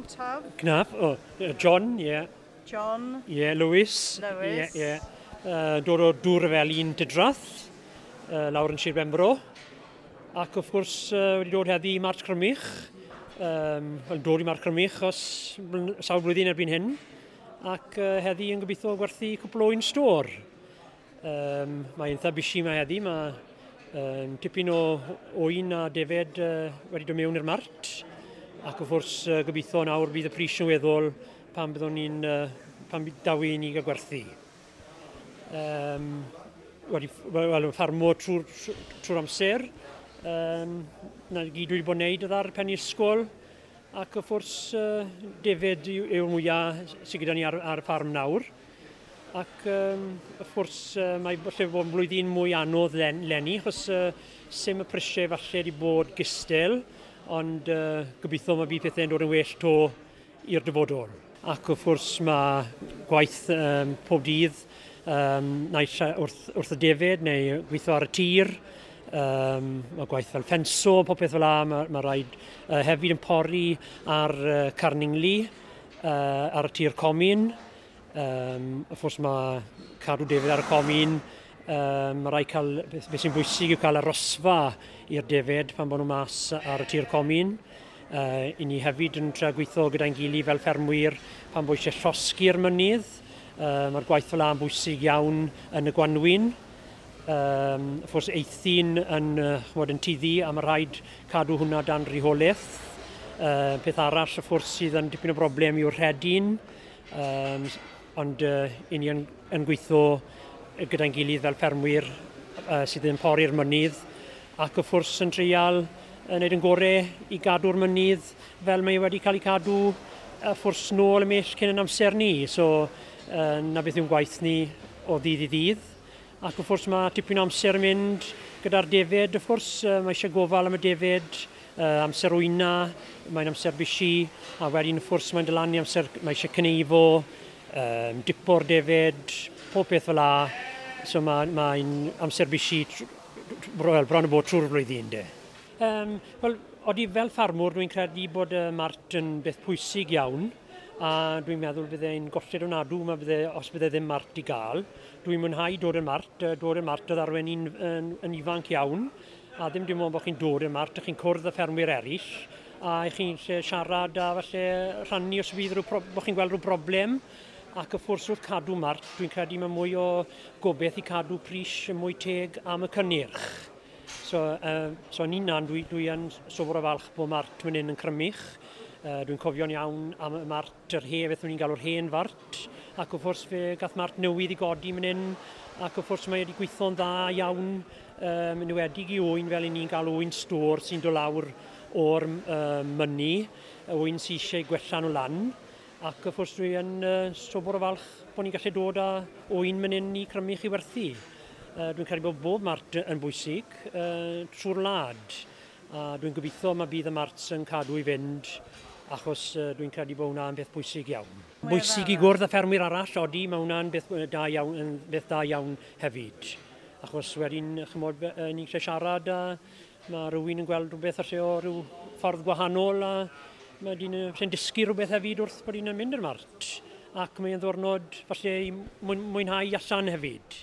Taf? Gnaf, oh, John, ie. Yeah. John. Ie, yeah, Lewis. Lewis. Ie, yeah, ie. Yeah. Dod o Dŵr y Felin Dydrath, lawr yn Sir Benfro. Ac wrth gwrs wedi dod heddi i Mart Crymych. Wel, dod i Mart Crymych os sawl blwyddyn erbyn hyn. Ac heddi yn gobeithio gwerthu cwpl o un stôr. Mae'n eitha busy mae heddi, mae tipyn o oen a defed wedi dod mewn i'r mart. Ac wrth gwrs gobeithio nawr bydd y pris yn weddol pan byddwn ni'n pan daw i ni gael gwerthu. Wedi, wel, ffarmo trwy'r amser. Na gyd dwi wedi bod yn neud oedd ar pen ysgol. Ac wrth gwrs defed yw'r mwyaf sydd gyda ni ar y ffarm nawr. Ac wrth gwrs mae falle bod yn blwyddyn mwy anodd leni, achos sim y prisiau falle wedi bod gystel, ond gobeithio mae bydd pethau'n dod yn well to i'r dyfodol. Ac wrth gwrs mae gwaith pob dydd, naill wrth y defed neu gweithio ar y tir, mae gwaith fel ffenso, popeth fel la, mae rhaid hefyd yn pori ar Carningli, ar y tir comin. Wrth gwrs mae cadw defed ar y comin, mae rhaid cael, beth sy'n bwysig yw cael arosfa i'r defed pan bod nhw mas ar y tir comin. I ni hefyd yn trio gweithio gyda'n gilydd fel ffermwyr pan bod eisiau llosgi'r mynydd. Mae'r gwaith fel 'na yn bwysig iawn yn y gwanwyn. Wrth gwrs eithin yn, ch'mod, yn tuddu a mae rhaid cadw hwnna dan rheolaeth. Peth arall wrth gwrs sydd yn dipyn o broblem yw'r rhedyn. Ond i ni yn gweithio gyda'n gilydd fel ffermwyr sydd yn pori'r mynydd ac wrth gwrs yn treial yn wneud yn gorau i gadw'r mynydd fel mae wedi cael ei cadw wrth gwrs nôl ymhell cyn yn amser ni. So na beth yw'n gwaith ni o ddydd i ddydd. Ac wrth gwrs mae tipyn o amser yn mynd gyda'r defed, wrth gwrs, mae eisiau gofal am y defed, amser wyna, mae'n amser busy, a wedyn wrth gwrs mae'n dod lan i amser, mae eisiau cneifo, dipo'r defed, pob peth fel la. So mae'n amser busy wel, bron o bod trwy'r flwyddyn de. Wel, odi fel ffarmwr dwi'n credu bod y mart yn beth pwysig iawn, a dwi'n meddwl byddai'n golled ofnadw ma bydde, os bydde ddim mart i gael. Dwi'n mwynhau dod yn mart, dod yn mart oedd arwen i'n yn ifanc iawn, a ddim dim ond bod chi'n dod yn mart, chi'n cwrdd â ffermwyr eraill, a chi'n siarad a falle rhannu os bydd rhyw bod chi'n gweld rhyw broblem. Ac wrth gwrs wrth cadw mart, dwi'n credu mae mwy o gobeith i cadw pris mwy teg am y cynnyrch. So yn hunan, dwi yn sobor o falch bod mart fan hyn yn Crymych. Dwi'n cofio'n iawn am y mart yr he, beth o'n i'n galw'r hen fart. Ac wrth gwrs fe gath mart newydd i godi fan hyn. Ac wrth gwrs mae wedi gweithio'n dda iawn, yn enwedig i oen fel i ni'n gael oen stôr sy'n dod lawr o'r myny, oen sy'n eisiau gwella nhw lan. Ac wrth gwrs dwi yn sobor o falch bod ni'n gallu dod â oen fan hyn i Crymych i werthu. Dwi'n credu bod bob mart yn bwysig trwy'r wlad. A dwi'n gobeithio mae bydd y mart yn cadw i fynd, achos dwi'n credu bod hwnna'n beth bwysig iawn. Bwysig i gwrdd â ffermwyr arall, odi, mae hwnna'n beth da iawn, yn beth da iawn hefyd. Achos wedyn, ch'mod, ni'n gallu siarad a mae rhywun yn gweld rhywbeth falle o ryw ffordd gwahanol a mae dyn yn dysgu rhywbeth hefyd wrth bod hi'n mynd i'r mart. Ac mae'n ddwrnod falle i mwynhau allan hefyd.